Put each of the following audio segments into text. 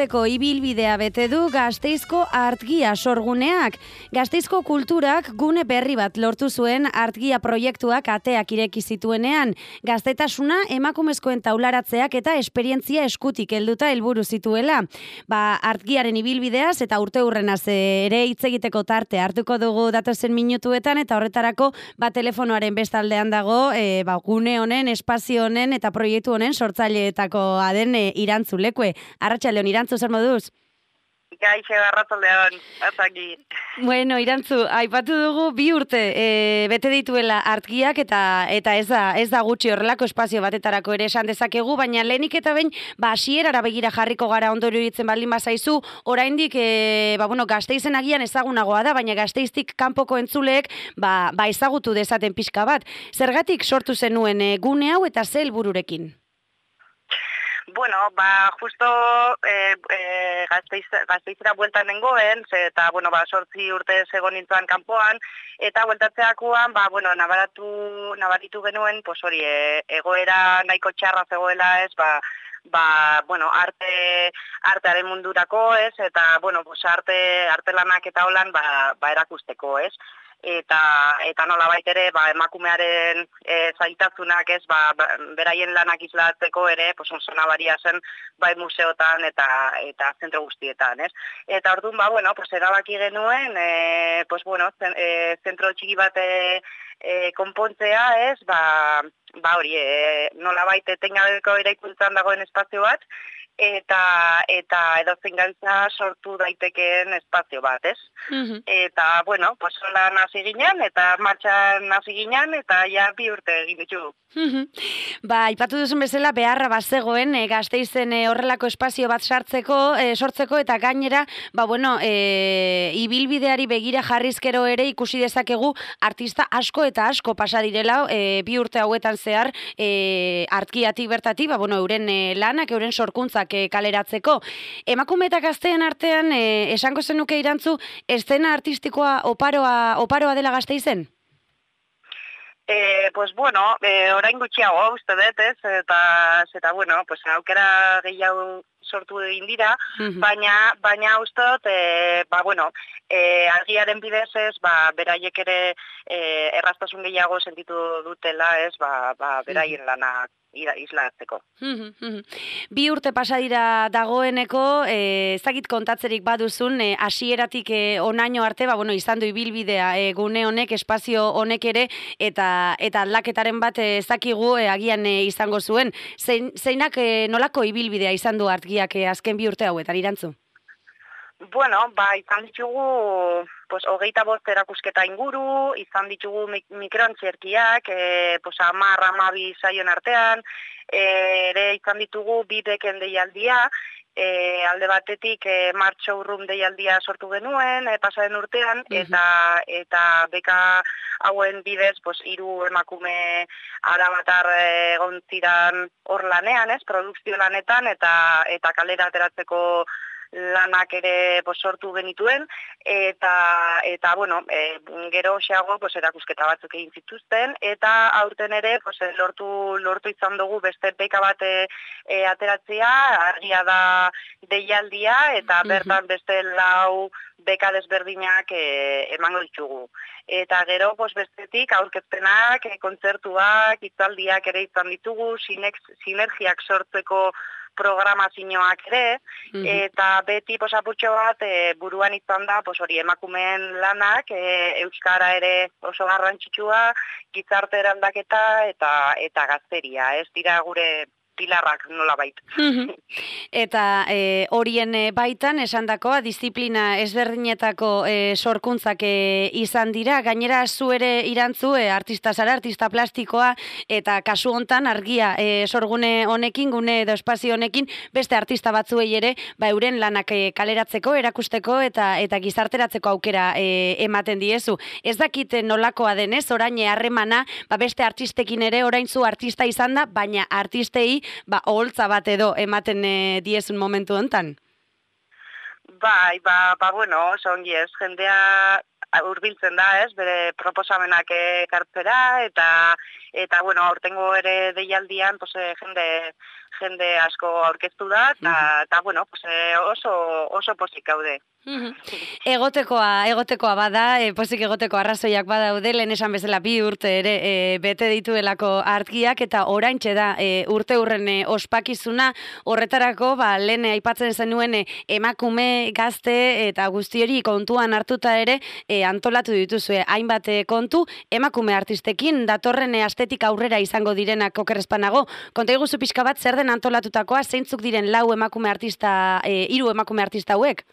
urteko ibilbidea bete du Gasteizko Artgia sorguneak. Gasteizko kulturak gune berri bat lortu zuen Artgia proiektuak ateak ireki zituenean. Gaztetasuna emakumezkoen taularatzeak eta esperientzia eskutik helduta helburu zituela. Artgiaren ibilbideaz eta urteurrenaz ere hitz egiteko tarte hartuko dugu datozen minutuetan, eta horretarako telefonoaren bestaldean dago gune honen, espazio honen eta proiektu honen sortzaileetakoa den Irantzu Lekue. Arratsaldeon, Irantzu, zer moduz? Gaixo, arratsaldeon, azaki. Bueno, Irantzu, aipatu dugu 2 urte bete dituela Artgiak eta ez da gutxi, horrelako espazio batetarako ere esan dezakegu, baina lehenik eta behin hasierara begira jarriko gara ondo iruditzen baldin bazaizu, oraindik Gasteizen agian ezagunagoa da, baina Gasteiztik kanpoko entzuleek ezagutu dezaten pixka bat. Zergatik sortu zenuen gune hau eta ze helbururekin? Bueno, justo Gasteizera bueltan nengoen, eta, 8 urte zegoen nintzen kanpoan, eta bueltatzeakoan, nabaritu genuen, egoera nahiko txarra zegoela, artearen mundurako, eta, arte lanak eta holan, erakusteko, eta nolabait ere emakumearen zailtasunak beraien lanak islatzeko ere oso nabaria zen museotan eta zentro guztietan, Eta orduan erabaki genuen zentro txiki bat konpontzea, nolabait etengabeko eraikuntzan dagoen espazio bat, eta edozein gauza sortu daitekeen espazio bat, Eta, lan hasi ginen, eta martxan hasi ginen, eta ja 2 urte egin ditugu. Aipatu duzun bezala, beharra bazegoen Gasteizen horrelako espazio bat sortzeko, eta gainera, ibilbideari begira jarrizkero ere ikusi dezakegu artista asko eta asko pasa direla 2 urte hauetan zehar Artgiatik bertatik, euren lanak, euren sorkuntzak kaleratzeko. Emakume eta gazteen artean, esango zenuke, Irantzu, eszena artistikoa oparoa dela Gasteizen? Orain gutxiago, uste dut, eta aukera gehiago sortu egin dira, baina uste dut, Argiaren bidez beraiek ere erraztasun gehiago sentitu dutela, beraien lanak islatzeko. 2 urte pasa dira dagoeneko, ez dakit kontatzerik baduzun, hasieratik onaino arte, izan du ibilbidea gune honek, espazio honek ere, eta aldaketaren bat ez dakigu agian izango zuen. Zeinak nolako ibilbidea izan du Artgiak azken 2 urte hauetan, Irantzu? Izan ditugu 25 erakusketa inguru, izan ditugu mikroantzerkiak, 10-12 saion artean, ere izan ditugu 2 beken deialdia, alde batetik martxo urrum deialdia sortu genuen, pasaren urtean, eta beka hauen bidez 3 emakume arabatar egon ziran hor lanean, produkzio lanetan, eta kalera ateratzeko lanak ere sortu genituen, eta gero xeago erakusketa batzuk egin zituzten, eta aurten ere lortu izan dugu beste beka bat ateratzea, Argia da deialdia, eta bertan beste 4 beka desberdinak emango ditugu. Eta gero bestetik aurkezpenak, kontzertuak, hitzaldiak ere izan ditugu, sinergiak sortzeko programazioak ere, eta beti apurtxo bat buruan izan da emakumeen lanak, euskara ere oso garrantzitsua, gizarte eraldaketa eta gazteria, ez dira gure pilarrak nolabait. Eta horien baitan, esandakoa, disiplina ezberdinetako sorkuntzak izan dira, gainera zu ere, Irantzu, artista zara, artista plastikoa, eta kasu hontan Argia sorgune honekin, gune edo espazio honekin, beste artista batzuei ere, euren lanak kaleratzeko, erakusteko eta gizarteratzeko aukera ematen diezu. Ez dakit nolakoa denez, orain harremana, beste artistekin ere, orain zu artista izan da, baina artistei oholtza bat edo ematen diezun momentu hontan? Oso ongi ez, jendea hurbiltzen da, bere proposamenak ekartzera, eta aurtengo ere deialdian, jende asko aurkeztu da, eta bueno, pues, oso pozik gaude. Egotekoa bada, pozik egoteko arrazoiak badaude, lehen esan bezala 2 urte ere bete dituelako artgiak, eta oraintxe da urte hurren ospakizuna, horretarako lehen aipatzen zenuen emakume, gazte eta guzti hori kontuan hartuta ere antolatu dituzue hainbat kontu, emakume artistekin, datorren astetik aurrera izango direnak okerrezpanago. Konta iguzu pixka bat, zer den antolatutakoa, zeintzuk diren 3 emakume artista hauek?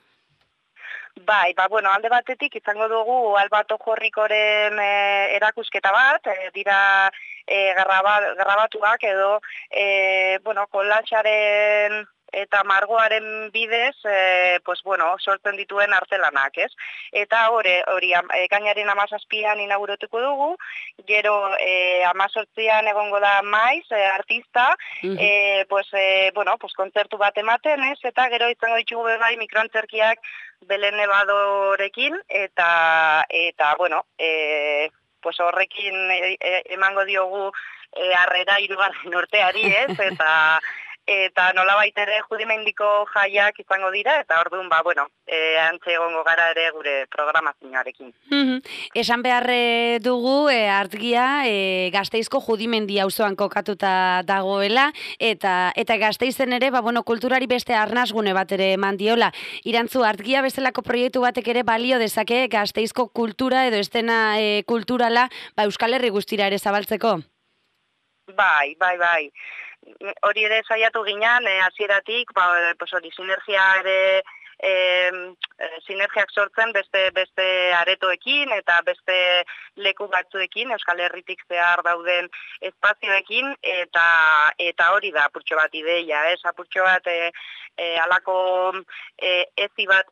Bai, bueno, alde batetik izango dugu Alba Tojorrikoren erakusketa bat, dira grabatuak edo, bueno, kolatxaren eta margoaren bidez, pues bueno, sortzen dituen artelanak, ez? Eta hori ekainaren 17an inauguratuko dugu, gero 18an egongo da Maiz, artista, bueno, pues kontzertu bat ematen, ez? Eta gero izango ditugu bai mikroantzerkiak Belen Nevadorekin, eta bueno, pues horrekin emango diogu harrera 3. urteari, ez? Eta nolabait ere judimendiko jaiak izango dira, eta orduan, bueno, antze egongo gara ere gure programazioarekin. Esan behar dugu artgia Gasteizko Judimendi auzoan kokatuta dagoela, eta Gasteizen ere, bueno, kulturari beste arnasgune bat ere eman diola. Irantzu, artgia bezalako proiektu batek ere balio dezake Gasteizko kultura edo estena kulturala Euskal Herri guztira ere zabaltzeko? Bai. Hori ere saiatu ginean, hasieratik, hori sinergia ere, sinergiak sortzen beste aretoekin eta beste leku batzuekin, Euskal Herritik zehar dauden espazioekin, eta hori da apurtxo bat ideia, apurtxo bat alako ezi bat,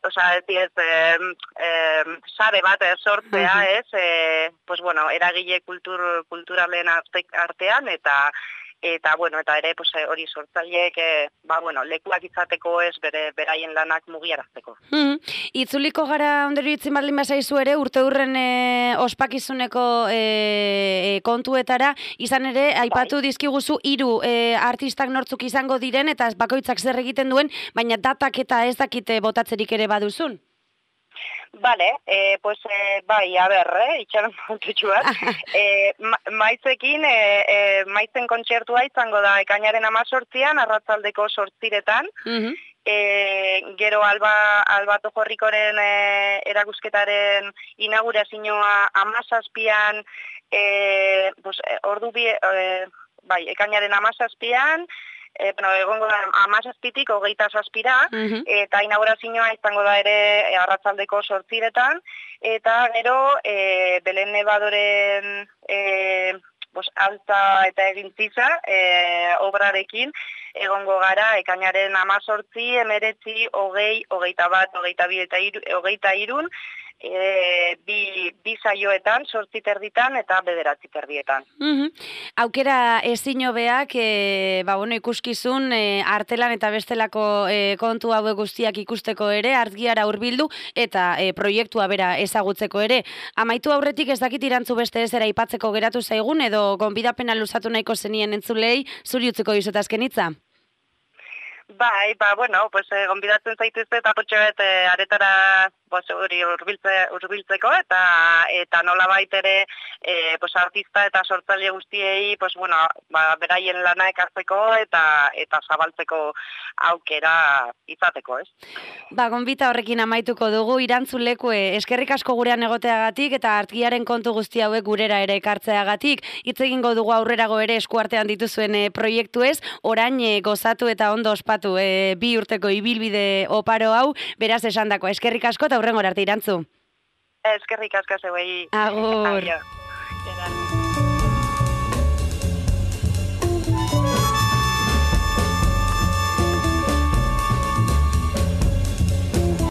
sare bat sortzea, pues bueno, eragile kulturalen artean, eta ere hori sortzaileek bueno, lekuak izateko beraien lanak mugiarazteko. Itzuliko gara ondero itzin baldin bazaizu ere, urte hurren ospakizuneko kontuetara, izan ere, aipatu dizkiguzu 3 artistak nortzuk izango diren, eta bakoitzak zer egiten duen, baina datak eta ez dakite botatzerik ere baduzun? Vale, bai, a ber, itxaron montutxu bat. Maizekin, maizen kontzertua izango da ekainaren 18an, arratzaldeko 8:00. Gero Alba Tojorrikoren erakusketaren inaugurazioa 17an, ekainaren 17an, egongo da 17tik 27ra, eta inaugurazioa izango da ere arratzaldeko 8:00, eta gero Belen Nevadoren altza eta egintziza obrarekin egongo gara ekainaren 18, 19, 20, 21, 22 eta 23, bi saioetan, 8:30 eta 9:30. Aukera ezin hobeak, bueno, ikuskizun artelan eta bestelako kontu hauek guztiak ikusteko ere, artgiara hurbildu eta proiektua bera ezagutzeko ere. Amaitu aurretik ez dakit Irantzu beste ezera aipatzeko geratu zaigun, edo gonbidapena luzatu nahiko zenien entzulei, zuri utziko dizut azken hitza? Bai, bueno, gonbidatzen zaituzte eta potxoet aretara hori urbiltzeko eta nolabait ere artista eta sortzaile guztiei beraien lana ekartzeko eta zabaltzeko aukera izateko, ez? Gonbita horrekin amaituko dugu, Irantzu Lekue, eskerrik asko gurean egoteagatik eta artgiaren kontu guzti hauek gurera ere ekartzeagatik. Hitz egingo dugu aurrerago ere eskuartean dituzuen proiektu ez, orain gozatu eta ondo ospatu 2 urteko ibilbide oparo hau, beraz esandako. Eskerrik asko eta hurrengora arte, Irantzu. Eskerrik asko zeuei. Agur. Aio.